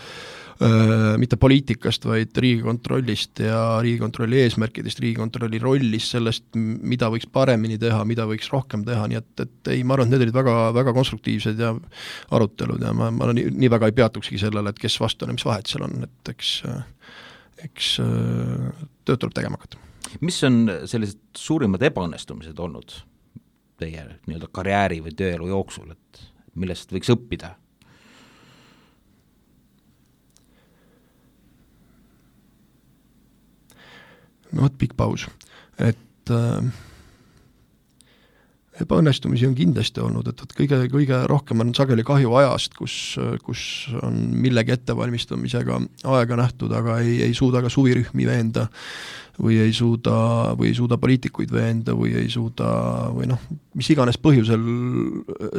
mitte poliitikast, vaid riigikontrollist ja riigikontrolli eesmärkidest, riigikontrolli rollist, sellest, mida võiks paremini teha, mida võiks rohkem teha, nii et ei, ma arvan, et need olid väga, väga konstruktiivsed ja arutelud ja ma nii väga ei peatukski sellele, et kes vastu on ja mis vahet seal on, et eks tööd tuleb tegema hakata. Mis on sellised suurimad ebaõnnestumised olnud teie nii-öelda karjääri või tööelu jooksul, et millest võiks õppida? No pikk paus, et ebaõnnestumisi on kindlasti olnud, et kõige rohkem on sageli kahju ajast, kus on millegi ettevalmistamisega aega nähtud, aga ei suuda ka suvirühmi veenda või ei suuda poliitikuid veenda või ei suuda või mis iganes põhjusel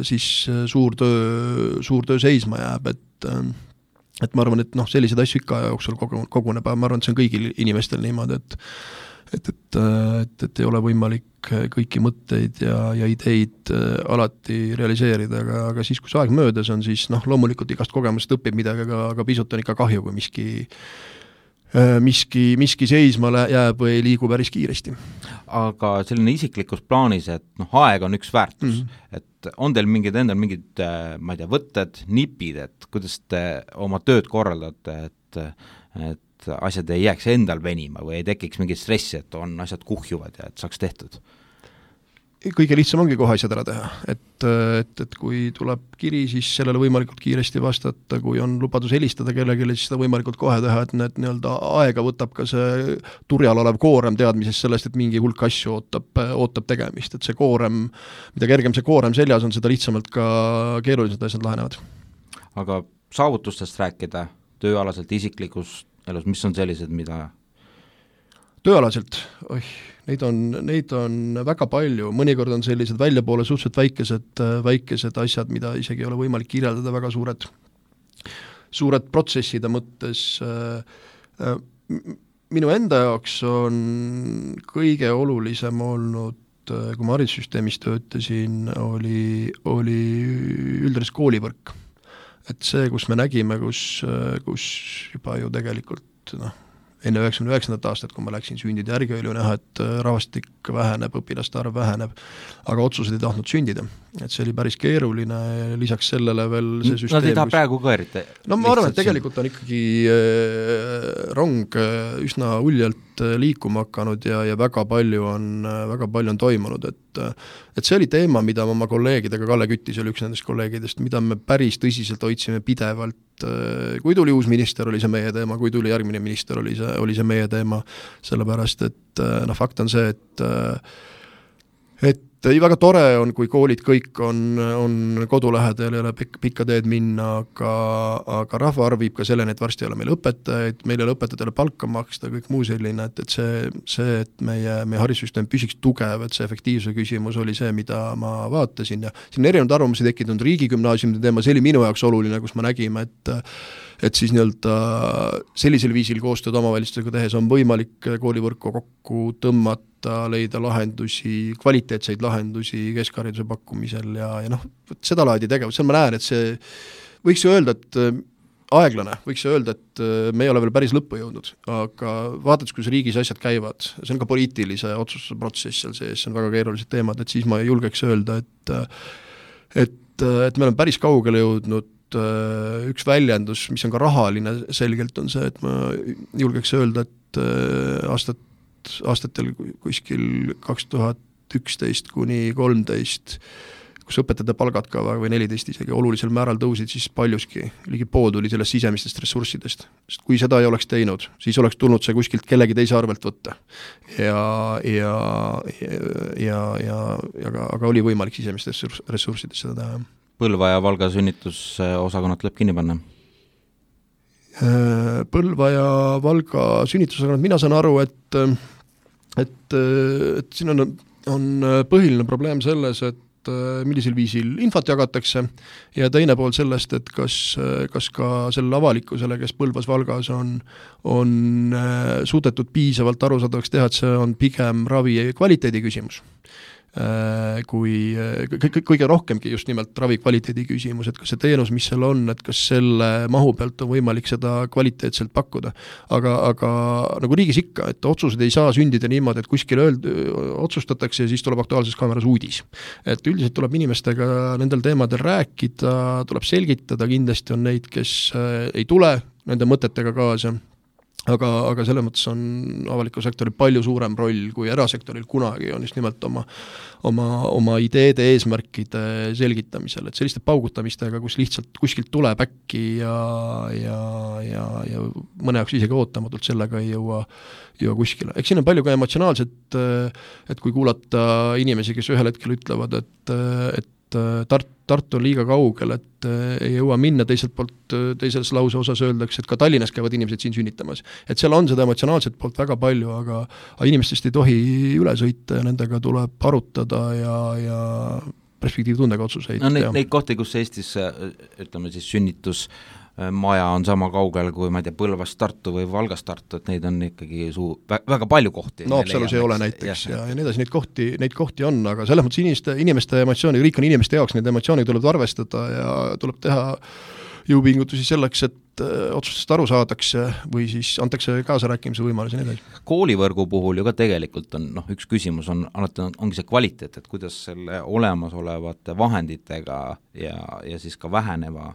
siis suur töö seisma jääb, et ma arvan, et sellised asju ikka jooksul koguneb, ma arvan, et see on kõigil inimestel niimoodi, et ei ole võimalik kõiki mõtteid ja ideid alati realiseerida, aga siis, kui see aeg möödas on, siis loomulikult igast kogemusest õpib midagi, aga pisut on ikka kahju, kui miski seisma jääb või ei liigu päris kiiresti. Aga selline isiklikus plaanis, et aeg on üks väärtus, et on teil mingid ma ei tea, võtted, nipid, et kuidas te oma tööd korraldate, et asjad ei jääks endal venima või ei tekiks mingit stressi, et asjad kuhjuvad ja et saaks tehtud? kõige lihtsam ongi kohe asjad ära teha, et kui tuleb kiri, siis sellele võimalikult kiiresti vastata, kui on lubadus helistada kellelegi, siis seda võimalikult kohe teha, et need nii-öelda aega võtab ka see turjal olev koorem teadmisest sellest, et mingi hulk asju ootab tegemist, et see koorem, mida kergem see koorem seljas on, seda lihtsamalt ka keerulised asjad lahenevad. Aga saavutustest rääkida, tööalaselt, isiklikus elus, mis on sellised, mida tööalaselt, neid on väga palju, mõnikord on sellised väljapoole suhteliselt väikesed asjad, mida isegi ei ole võimalik kirjeldada, väga suured protsesside mõttes. Minu enda jaoks on kõige olulisem olnud, kui ma haridussüsteemis töötasin, oli üldres koolivõrk. Et see, kus me nägime, kus juba ju tegelikult enne 99. aastat, kui ma läksin sündide järgi, oli näha, et rahvastik väheneb, õpilaste arv väheneb, aga otsused ei tahtnud sündida. Et see oli päris keeruline, lisaks sellele veel see süsteem... Nad ei taha praegu ka eriti. No ma arvan, et tegelikult on ikkagi rong üsna uljalt liikuma hakanud ja väga palju on toimunud, et see oli teema, mida ma oma kolleegidega, Kalle Küttis oli üks nendest kolleegidest, mida me päris tõsiselt hoidsime pidevalt, kui tuli uus minister, oli see meie teema, kui tuli järgmine minister, oli see meie teema, sellepärast, et fakt on see, et väga tore on, kui koolid kõik on kodulähedal, ei ole pikka teed minna, aga rahvaarv viib ka selleni, et varsti ei ole meil õpetajaid, meil ei ole õpetajatele palka maksta, kõik muu selline, et see, et meie haridussüsteem püsiks tugev, et see efektiivse küsimus oli see, mida ma vaatasin ja siin erinevad arvamusi tekkinud riigigümnaasiumide teema, see oli minu jaoks oluline, kus me nägime, et siis nii-öelda sellisel viisil koostööd omavalitsustega tehes on võimalik koolivõrku kokku tõmmata, leida lahendusi, kvaliteetseid lahendusi keskhariduse pakkumisel ja seda laadi tegevus, seal ma näen, et see võiks ju öelda, et aeglane, võiks ju öelda, et me ei ole veel päris lõppu jõudnud, aga vaatad, kus riigis asjad käivad, see on ka poliitilise otsustusprotsess seal sees, see on väga keerulised teemad, et siis ma julgeks öelda, et me oleme päris kaugele jõudnud. Üks väljendus, mis on ka rahaline selgelt, on see, et ma julgeks öelda, et aastatel kuskil 2011 kuni 13, kus õpetajate palgad ka või 14 isegi olulisel määral tõusid, siis paljuski ligi pool tuli sellest sisemistest ressurssidest. Sest kui seda ei oleks teinud, siis oleks tulnud see kuskilt kellegi teise arvelt võtta. Aga oli võimalik sisemistest ressurssidest seda teha. Põlva ja Valga sünnitusosakonnad tuleb kinni panna? Põlva ja Valga sünnitusosakonnad, mina saan aru, et siin on põhiline probleem selles, et millisel viisil infot jagatakse ja teine pool sellest, et kas ka selle avalikkusele, kes Põlvas Valgas on suudetud piisavalt arusaadavaks teha, et see on pigem ravi kvaliteedi küsimus. Kui kõige rohkemgi just nimelt ravi kvaliteedi küsimus, et kas see teenus, mis seal on, et kas selle mahu pealt on võimalik seda kvaliteetselt pakkuda. Aga nagu riigis ikka, et otsused ei saa sündida niimoodi, et kuskil otsustatakse ja siis tuleb Aktuaalses Kaameras uudis. Et üldiselt tuleb inimestega nendel teemadel rääkida, tuleb selgitada, kindlasti on neid, kes ei tule nende mõtetega kaasa. Aga selles mõttes on avaliku sektori palju suurem roll kui erasektoril kunagi on just nimelt oma ideede eesmärkide selgitamisel, et selliste paugutamistega, kus lihtsalt kuskilt tuleb äkki ja mõne jaoks isegi ootamatult sellega ei jõua kuskile. Eks siin on palju ka emotsionaalset, et kui kuulata inimesi, kes ühel hetkel ütlevad, et Tartu on liiga kaugel, et ei jõua minna, teiselt poolt teises lause osas öeldakse, et ka Tallinnas käivad inimesed siin sünnitamas. Et seal on seda emotsionaalset poolt väga palju, aga inimestest ei tohi üle sõita ja nendega tuleb arutada ja perspektiivtundega otsuseid. No neid kohti, kus Eestis, ütleme siis sünnitusmaja on sama kaugel kui, ma ei tea, Põlvast Tartu või Valgast Tartu, et neid on ikkagi väga palju kohti. No Haapsalus ei ole näiteks ja nii edasi, neid kohti on, aga selles mõttes inimeste emotsiooni, riik on inimeste jaoks, need emotsioonid tuleb arvestada ja tuleb teha jõupingutusi selleks, et otsustest aru saadakse või siis antakse kaasarääkimise võimaluse nii edasi. Koolivõrgu puhul ju ka tegelikult on, üks küsimus alati ongi see kvaliteet, et kuidas selle olemasolevate vahenditega ja siis ka väheneva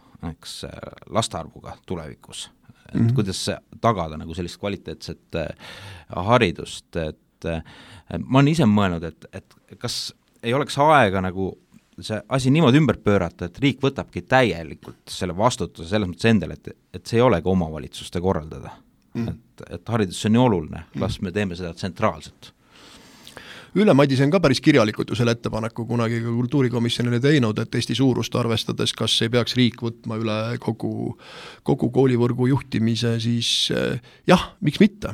lastearvuga tulevikus, et kuidas tagada nagu sellist kvaliteetset haridust, et ma olen ise mõelnud, et kas ei oleks aega nagu see asi niimoodi ümber pöörata, et riik võtabki täielikult selle vastutuse selles mõttes endale, et see ei olegi omavalitsuste korraldada. Et haridus on nii oluline, las me teeme seda tsentraalselt. Ülle Madise on ka päris kirjalikult ju selle ettepaneku kunagi ka kultuurikomisjonile teinud, et Eesti suurust arvestades, kas ei peaks riik võtma üle kogu koolivõrgu juhtimise, siis jah, miks mitte.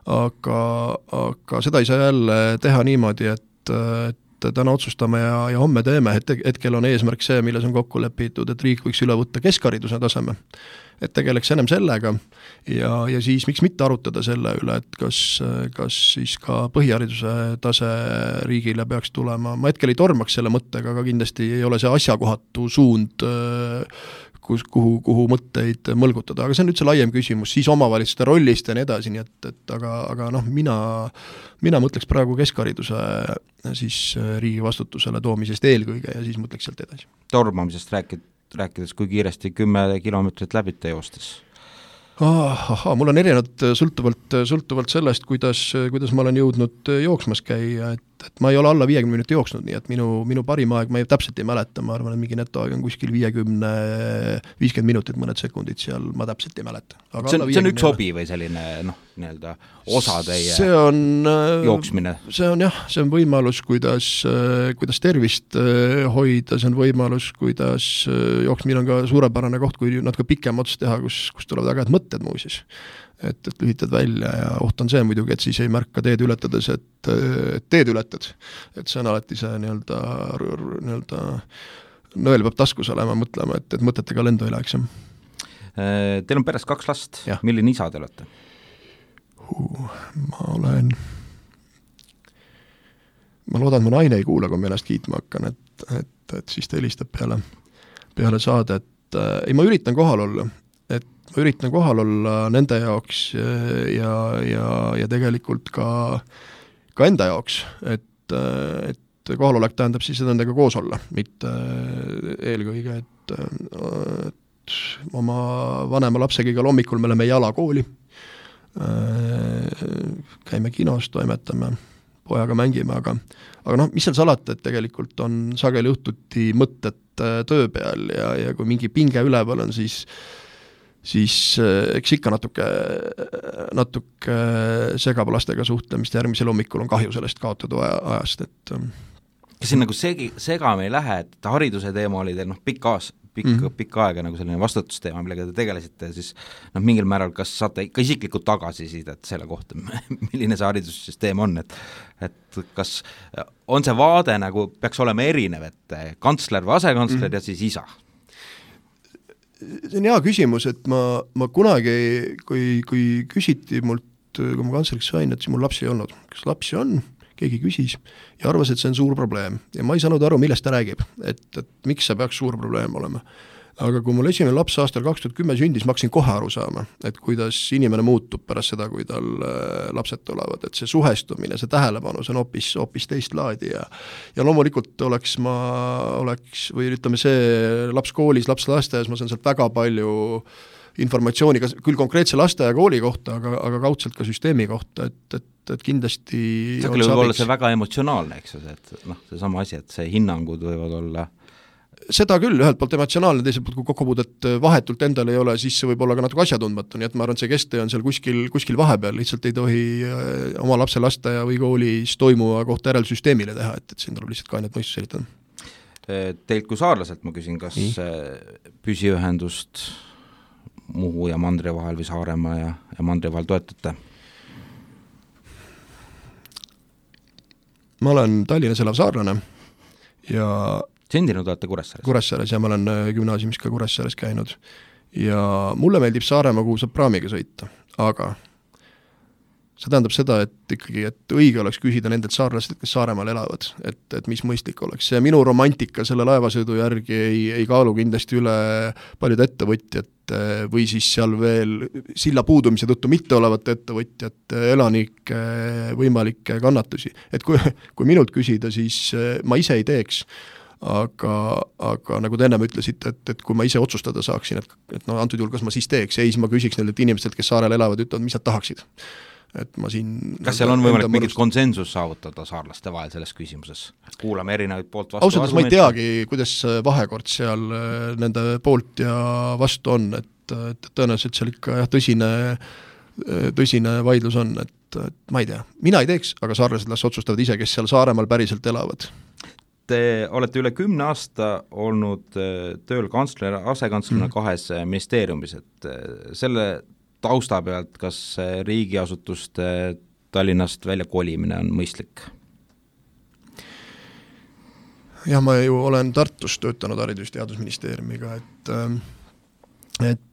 Aga seda ei saa jälle teha niimoodi, et täna otsustame ja homme teeme, et hetkel on eesmärk see, milles on kokku lepitud, et riik võiks üle võtta keskhariduse taseme, et tegeleks ennem sellega ja siis miks mitte arutada selle üle, et kas siis ka põhihariduse tase riigile peaks tulema. Ma hetkel ei tormaks selle mõttega, aga kindlasti ei ole see asjakohatu suund, kuhu mõtteid mõlgutada, aga see on üldse laiem küsimus, siis omavalitsuste rollist ja nii edasi, nii et aga mina mõtleks praegu keskhariduse siis riigi vastutusele toomisest eelkõige ja siis mõtleks sealt edasi. Tormamisest rääkides, kui kiiresti 10 kilomeetrit läbite joostes? Mul on erinevad sõltuvalt sellest, kuidas ma olen jõudnud jooksmas käia, et ma ei ole alla 50 minuti jooksnud, nii et minu parim aeg, ma täpselt ei mäleta, ma arvan, et mingi netoaeg on kuskil 50 minutit, mõned sekundid seal, ma täpselt ei mäleta. See on üks hobi või selline nii-öelda osa teie jooksmine? See on võimalus, kuidas tervist hoida, see on võimalus, kuidas jooksmine on ka suurepärane koht, kui natuke pikem ots teha, kus tulevad väga head mõtted muusis. Et lühitad välja ja oht on see muidugi, et siis ei märka teed ületades, et teed ületad. Et see on alati see nii-öelda nõel peab taskus olema, mõtlema, et mõtetega lendu ei läheks. Teil on peres 2 last, milline isa te olete? Ma loodan, et mu naine ei kuula, kui ma ennast kiitma hakkan, et siis ta helistab peale saade, et ei, ma üritan kohal olla nende jaoks ja tegelikult ka enda jaoks, et kohalolek tähendab siis nendega koos olla, mitte eelkõige, et oma vanema lapsega igal hommikul me oleme jala kooli, käime kinos, toimetame, pojaga mängime, aga mis seal salata, et tegelikult on sageli õhtuti mõtted töö peal ja kui mingi pinge üleval on, siis eks ikka natuke segab lastega suhtlemist, järgmisel hommikul on kahju sellest kaotada ajast, et kas siin nagu segame ei lähe, et hariduse teema oli teil pikka aega nagu selline vastutusteema, millega te tegelesite, siis mingil määral kas saate ka isiklikult tagasisidet selle kohta, milline see haridussüsteem on, et kas on see vaade nagu peaks olema erinev, et kantsler või asekantsler ja siis isa? See on hea küsimus, et ma kunagi, kui küsiti mult, kui ma kantsleriks sain, et siis mul lapsi ei olnud. Kas lapsi on? Keegi küsis ja arvas, et see on suur probleem. Ja ma ei saanud aru, millest ta räägib, et miks see peaks suur probleem olema. Aga kui mul esimene laps aastal 2010 sündis, ma hakkasin kohe aru saama, et kuidas inimene muutub pärast seda, kui tal lapsed tulevad, et see suhestumine, see tähelepanu, see on hoopis teist laadi ja loomulikult oleks või ütleme see laps koolis, laps lasteaias, ma saan sealt väga palju informatsiooni, küll konkreetse lasteaia kooli kohta, aga kaudselt ka süsteemi kohta, et kindlasti see küll võib olla see väga emotsionaalne, eks, et see sama asi, et see hinnangud võivad olla seda küll, ühelt poolt emotsionaalne, teiselt poolt kui kokkupuudet vahetult endal ei ole, siis see võib olla ka natuke asjatundmatu, nii et ma arvan, et see kesttee on seal kuskil vahepeal, lihtsalt ei tohi oma lapse lasteaia või koolis toimuva kohta järelsüsteemile teha, et siin tuleb lihtsalt kainet mõistus selitada. Teilt kui saarlaselt ma küsin, kas püsiühendust Muhu ja Mandri vahel või Saaremaa ja Mandri vahel toetate? Ma olen Tallinnas elav saarlane ja sündinud olete Kuressaares? Kuressaares ja ma olen gümnaasiumis ka Kuressaares käinud ja mulle meeldib Saaremaa, kuhu saab praamiga sõita, aga see tähendab seda, et ikkagi, et õige oleks küsida nendelt saarlased, kes Saaremaal elavad, et mis mõistlik oleks. See minu romantika selle laevasõidu järgi ei kaalu kindlasti üle paljud ettevõtjad või siis seal veel silla puudumise tõttu mitte olevate ettevõtjate elanike võimalikke kannatusi. Et kui minult küsida, siis ma ise ei teeks, aga nagu te ennem ütlesite, et kui ma ise otsustada saaksin, et antud juhul kas ma siis teeks, siis ma küsiks nendelt inimestelt, kes saarel elavad, ütlevad, mis nad tahaksid. et ma siin kas seal on võimalik mingit konsensus saavutada saarlaste vahel selles küsimuses? Kuulame erinevaid poolt vastu ausalt, ma ei teagi, kuidas võimekord seal nende poolt ja vastu on, et tõenäoliselt seal ikka tõsine vaidlus on, et ma ei tea, mina ei teeks, aga saarlased las otsustavad ise, kes seal Saaremaal päriselt elavad. Te olete üle 10 aasta olnud tööl asekantslerina kahes ministeeriumis, et selle tausta pealt, kas riigiasutuste Tallinnast välja kolimine on mõistlik? Jah, ma ju olen Tartus töötanud Haridus- ja Teadusministeeriumiga, et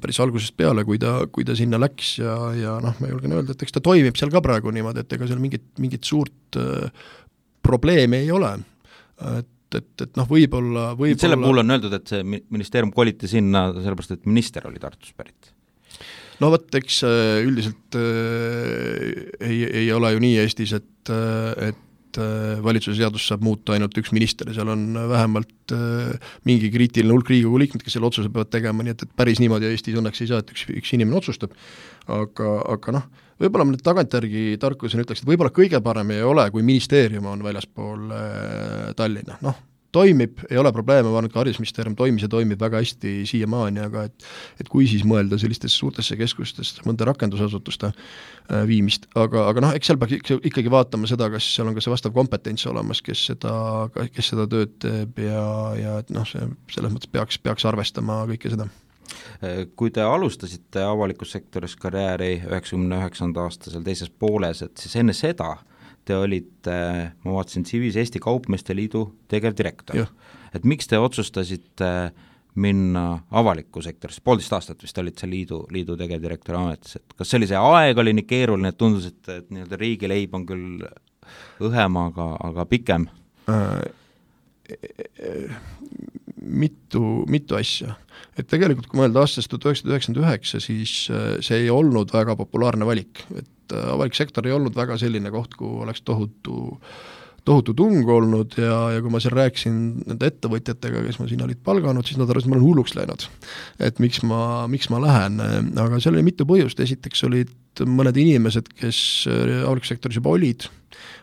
päris algusest peale, kui ta sinna läks ja noh, ma julgen öelda, et eks ta toimib seal ka praegu niimoodi, et ega seal mingit suurt probleemi ei ole. Et noh, võib-olla selle puhul on öeldud, et see ministeerium koliti sinna sellepärast, et minister oli Tartus pärit. No võt, eks üldiselt ei ole ju nii Eestis, et valitsuse seadus saab muuta ainult üks minister ja seal on vähemalt mingi kriitiline hulk Riigikogu liikmed, kes selle otsuse peavad tegema, nii et päris niimoodi Eestis õnneks ei saa, et üks inimene otsustab. Aga noh, võib-olla ma nüüd tagantjärgi tarkusena ütleks, et võib-olla kõige parem ei ole, kui ministeerium on väljaspool Tallinna. Noh, toimib, ei ole probleeme, ma arvan, et haridusministeerium toimib väga hästi siiamaani, aga et kui siis mõelda sellistesse suurtesse keskustesse mõnda rakendusasutuste viimist, aga noh, eks seal peaks ikkagi vaatama seda, kas seal on ka see vastav kompetents olemas, kes seda tööd teeb ja et noh, selles mõttes peaks arvestama kõike seda. Kui te alustasite avalikus sektoris karjääri 99. aasta seal teises pooles, et siis enne seda te olite, ma vaatasin CV-s Eesti Kaupmeeste Liidu tegevdirektor. Et miks te otsustasite minna avalikku sektorisse? 1,5 aastat vist olid see liidu tegevdirektori ametis. Et kas see oli see aeg oli nii keeruline, et tundus, et nii-öelda riigileib on küll õhem, aga pikem? Mitu asja. Et tegelikult, kui mõelda aastast 1999, siis see ei olnud väga populaarne valik. Et avalik sektor ei olnud väga selline koht, kuhu oleks tohutu tung olnud ja kui ma seal rääkisin nende ettevõtjatega, kes ma siin olid palganud, siis nad arvasid, et ma olen hulluks läinud. Et miks ma lähen, aga seal oli mitu põhjust. Esiteks olid mõned inimesed, kes avalikus sektoris juba olid.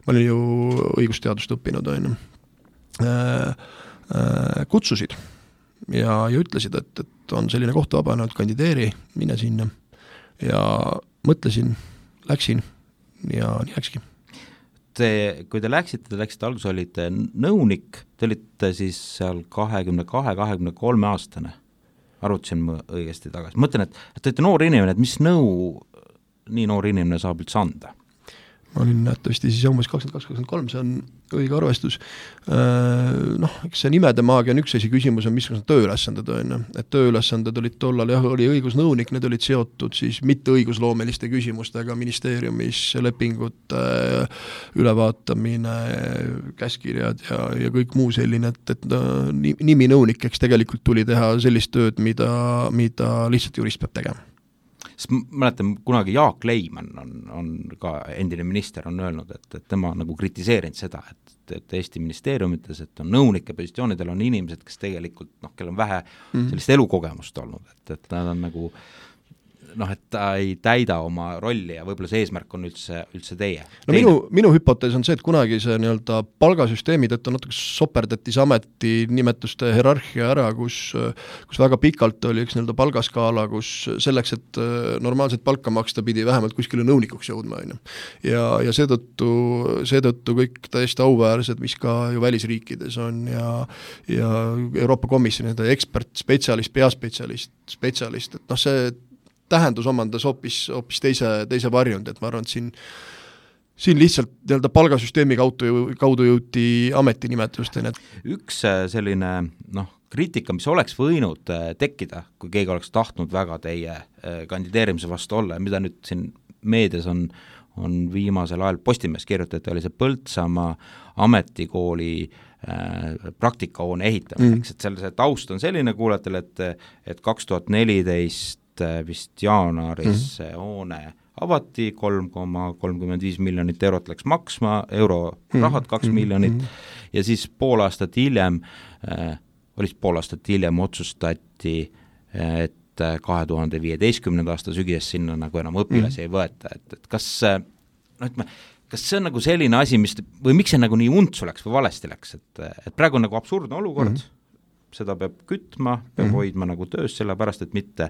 Ma olin ju õigusteadust õppinud, kutsusid ja ütlesid, et on selline koht vabanenud, kandideeri, mine sinna. Ja mõtlesin, läksin ja nii läkski. Kui te läksite alguses, olite nõunik, te olite siis seal 22-23 aastane, arvutasin ma õigesti tagasi. Mõtlen, et te olete noor inimene, et mis nõu nii noor inimene saab üldse anda? Ma olin nähtavasti siis umbes 22-23, see on õige arvestus. Noh, eks see nimede maagia on üks küsimus on, mis on tööülesanded on. Et tööülesanded olid tollal, oli õigusnõunik, need olid seotud siis mitte õigusloomeliste küsimustega ministeeriumis, lepingute ülevaatamine, käskirjad ja kõik muu selline, et nimi nõunik, eks tegelikult tuli teha sellist tööd, mida lihtsalt jurist peab tegema. Mäletan, kunagi Jaak Leimann on ka endine minister on öelnud, et tema nagu kritiseerinud seda, et Eesti ministeeriumites, et on nõunike positsioonidel on inimesed, kes tegelikult, kellel on vähe sellist elukogemust olnud, et nad on nagu et ta ei täida oma rolli ja võib-olla see eesmärk on üldse teie. No minu hüpotees on see, et kunagi see nii-öelda palgasüsteemi tõttu natuke soperdati see ameti nimetuste hierarhia ära, kus väga pikalt oli üks nii-öelda palgaskaala, kus selleks, et normaalselt palka maksta pidi vähemalt kuskile nõunikuks jõudma. Ja seetõttu kõik täiesti auväärsed, mis ka ju välisriikides on ja Euroopa Komisjoni ekspert, spetsialist, peaspetsialist, et see tähendus omandas hoopis teise varjund, et ma arvan, et siin lihtsalt nii-öelda palgasüsteemi kaudu jõuti ametinimetusteni. Üks selline kriitika, mis oleks võinud tekkida, kui keegi oleks tahtnud väga teie kandideerimise vastu olla ja mida nüüd siin meedias on viimasel ajal Postimees kirjutati, oli see Põltsamaa ametikooli praktikahoone ehitamiseks, et see taust on selline kuulajatele, et 2014 vist jaanuaris hoone avati, 3,35 miljonit eurot läks maksma, eurorahad 2 miljonit ja siis pool aastat hiljem otsustati, et et 2015. aasta sügisest sinna nagu enam õpilasi ei võeta, et kas kas see on nagu selline asi, või miks see nagu nii untsu läks või valesti läks, et praegu on nagu absurdne olukord, seda peab kütma, peab hoidma nagu töös, sellepärast, et mitte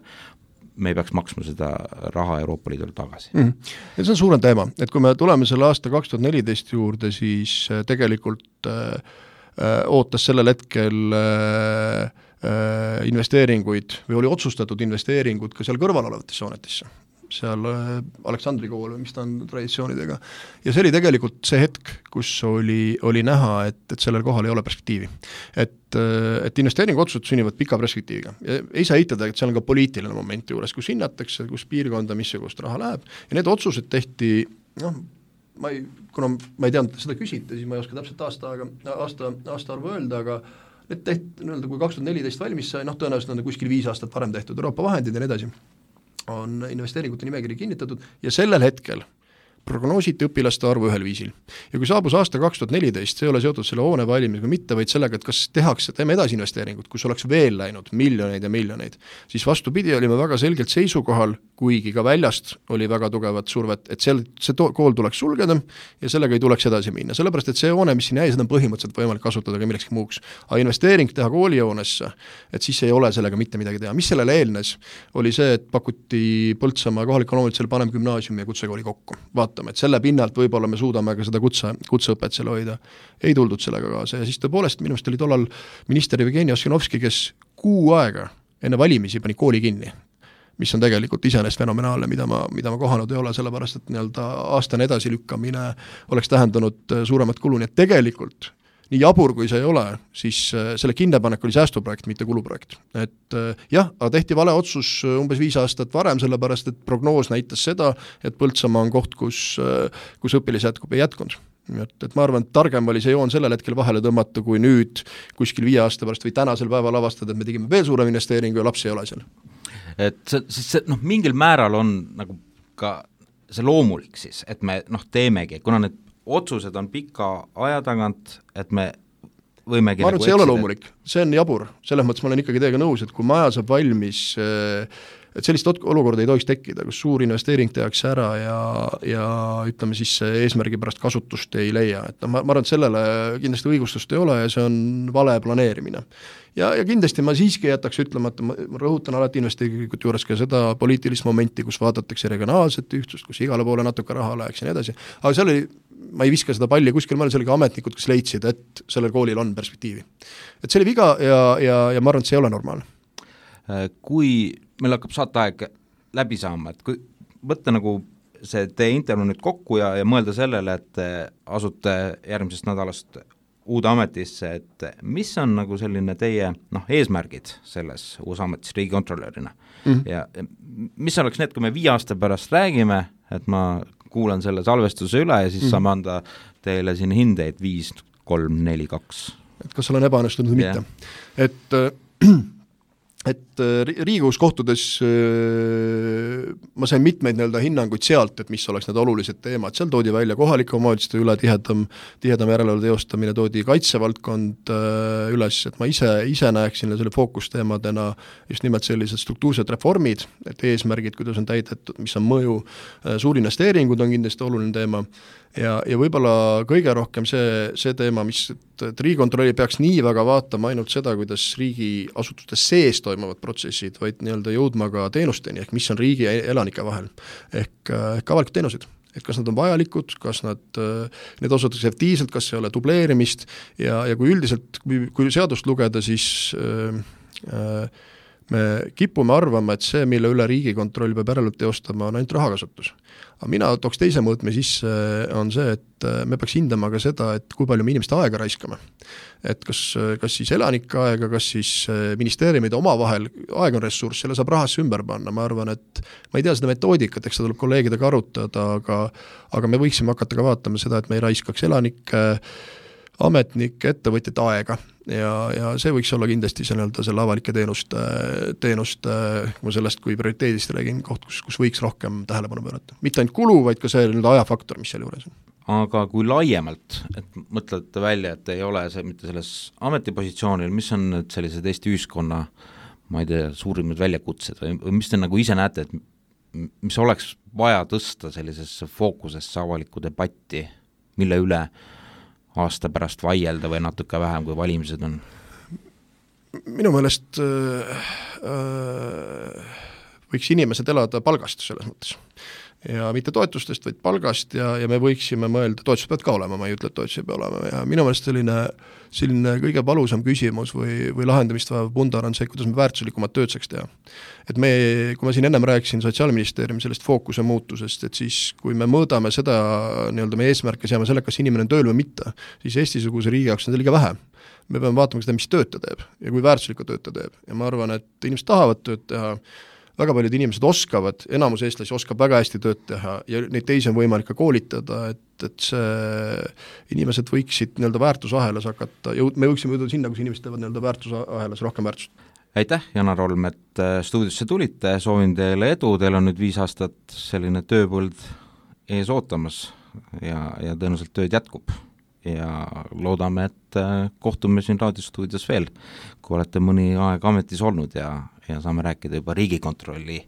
me ei peaks maksma seda raha Euroopa Liidule tagasi. Ja see on suurem teema, et kui me tuleme selle aasta 2014 juurde, siis tegelikult ootas sellel hetkel investeeringuid või oli otsustatud investeeringud ka seal kõrval olevatesse hoonetesse, seal Aleksandri kool või mis ta on traditsioonidega. Ja see oli tegelikult see hetk, kus oli näha, et sellel kohal ei ole perspektiivi. Et investeeringu otsused sünnivad pika perspektiiviga. Ja ei saa eitada, et seal on ka poliitiline moment juures, kus hinnatakse, kus piirkonda, missugust raha läheb. Ja need otsused tehti, kuna ma ei teadnud, seda küsite, siis ma ei oska täpselt aasta arvu öelda, aga need tehti, kui 2014 valmis sai, tõenäoliselt on kuskil 5 aastat varem tehtud Euroopa vahendid ja nii edasi, on investeeringute nimekiri kinnitatud ja sellel hetkel prognoositi õpilaste arvu ühel viisil. Ja kui saabus aasta 2014, see ei ole seotud selle hoone valimisega mitte, vaid sellega, et kas teeme edasi investeeringut, kus oleks veel läinud miljoneid ja miljoneid, siis vastupidi olime väga selgelt seisukohal, kuigi ka väljast oli väga tugevat survet, et see kool tuleks sulgeda ja sellega ei tuleks edasi minna. Sellepärast, et see hoone, mis siin jäi, seda on põhimõtteliselt võimalik kasutada ka millekski muuks. Aga investeering teha koolijoonesse, et siis ei ole sellega mitte midagi teha. Mis sellele eelnes, oli see, et pakuti Põltsamaa kohaliku omavalitsusele Panem gümnaasiumi ja kutsekooli kokku. Vaatame, et selle pinnalt võib-olla me suudame ka seda kutseõpet selle hoida. Ei tuldud sellega kaasa ja siis tõepoolest minu meelest oli tollal minister Jevgeni Ossinovski, kes 6 aega enne valimisi pani kooli kinni, mis on tegelikult iseenesest fenomenaalne, mida ma kohanud ei ole, sellepärast, et aastane edasilükkamine oleks tähendanud suuremat kulu, nii et tegelikult nii jabur kui see ei ole, siis selle kinnepanek oli säästuprojekt, mitte kuluprojekt. Et aga tehti vale otsus umbes 5 aastat varem, sellepärast, et prognoos näitas seda, et Põltsamaa on koht, kus õpilis jätkub ei jätkunud. Et ma arvan, et targem oli see joon sellel hetkel vahele tõmmata, kui nüüd kuskil 5 aasta pärast või tänasel päeval avastada, et me tegime veel suurem investeeringu ja lapsi ei ole seal. Et see mingil määral on nagu ka see loomulik siis, et me teemegi, kuna need otsused on pika aja tagant, et me võimegi ma arvan, et see ei ole loomulik, see on jabur, selles mõttes ma olen ikkagi teiega nõus, et kui maja saab valmis, et sellist olukorda ei tohiks tekkida, kus suur investeering tehakse ära ja ütleme siis eesmärgi pärast kasutust ei leia, et ma arvan, et sellele kindlasti õigustust ei ole ja see on vale planeerimine. Ja kindlasti ma siiski jätaks ütlemata, ma rõhutan alati investeeringute juures ka seda poliitilist momenti, kus vaadatakse regionaalset ühtsust, kus igale poole natuke raha läheks ja nii edasi, aga seal oli, ma ei viska seda palli kuskil, ma olin sellega ametnikud, kes leidsid, et sellel koolil on perspektiivi. Et see oli viga ja ma arvan, et see ei ole normaalne. Kui meil hakkab saateaeg läbi saama, et kui võtta nagu see teie intervjuu nüüd kokku ja mõelda sellele, et asute järgmisest nädalast uude ametisse, et mis on nagu selline teie eesmärgid selles uus ametis riigikontrolörina ja mis oleks need, kui me 5 aasta pärast räägime, et ma kuulan selle salvestuse üle ja siis saame anda teile siin hindeid 5, 3, 4, 2. Et kas olen ebaõnnestunud või mitte. Et Riigikogus kohtudes ma sain mitmeid hinnanguid sealt, et mis oleks need olulised teemad. Seal toodi välja kohalike omavalitsuste üle tihedam järelevalve teostamine, toodi kaitsevaldkond üles, et ma ise näeksin selle fookusteemadena just nimelt sellised struktuursed reformid, et eesmärgid, kuidas on täidetud, mis on mõju, suurinvesteeringud on kindlasti oluline teema ja võib-olla kõige rohkem see teema, mis et Riigikontrolli peaks nii väga vaatama ainult seda, kuidas riigiasutustes sees toimuvad protsessid, vaid jõudma ka teenusteni, ehk mis on riigi ja elanike vahel, ehk avalikud teenused. Et kas nad on vajalikud, kas need osutakse efektiivselt, kas ei ole dubleerimist ja kui üldiselt, kui seadust lugeda, siis me kipume arvama, et see, mille üle Riigikontroll peab järelevalvet teostama, on ainult rahakasutus. Aga mina tooks teise mõõtme sisse, on see, et me peaks hindama ka seda, et kui palju me inimeste aega raiskame. Et kas siis elanike aega, kas siis ministeeriumide omavahel, aeg on ressurss, selle saab rahasse ümber panna, ma arvan, et ma ei tea seda metoodikat, eks seda tuleb kolleegidega arutada, aga me võiksime hakata ka vaatama seda, et me ei raiskaks elanike, ametnike, ettevõtjate aega ja see võiks olla kindlasti selle avalike teenuste ma sellest kui prioriteedist räägin koht, kus võiks rohkem tähelepanu pöörata. Mitte ainult kulu, vaid ka see ajafaktor, mis seal juures on. Aga kui laiemalt, et mõtlete välja, et ei ole see mitte selles ametipositsioonil, mis on need sellised Eesti ühiskonna ma ei tea, suurimad väljakutsed või mis te nagu ise näete, et mis oleks vaja tõsta sellisesse fookusesse avalikku debatti, mille üle aasta pärast vaielda või natuke vähem, kui valimised on? Minu meelest võiks inimesed elada palgast selles mõttes. Ja mitte toetustest, vaid palgast ja me võiksime mõelda, toetused peavad ka olema, ma ei ütle, et toetused peavad olema ja minu meelest selline kõige valusam küsimus või lahendamist vajav pundar on see, kuidas me väärtuslikumat tööd saaks teha. Et kui ma siin ennem rääkisin Sotsiaalministeeriumi sellest fookuse muutusest, et siis kui me mõõdame seda nii-öelda meie eesmärke seame selle, kas inimene on tööl või mitte, siis Eesti-suguse riigi jaoks on liiga vähe. Me peame vaatama seda, mis tööd ta teeb ja kui väärtuslikku tööd ta teeb ja ma arvan, et inimesed tahavad tööd teha, väga paljud inimesed oskavad, enamus eestlasi oskab väga hästi tööd teha ja neid teisi on võimalik ka koolitada, et see inimesed võiksid nii-öelda väärtusahelas hakata, me võiksime jõuda sinna, kus inimesed teevad nii-öelda väärtusahelas rohkem väärtust. Aitäh, Janar Holm, et stuudiosse tulite, soovin teile edu, teil on nüüd 5 aastat selline tööpõld ees ootamas ja tõenäoliselt tööd jätkub ja loodame, et kohtume siin raadiostuudios veel, kui olete mõni aeg ametis olnud ja saame rääkida juba Riigikontrolli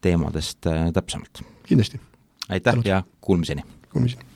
teemadest täpsemalt. Kindlasti. Aitäh ja kuulmiseni! Kuulmiseni!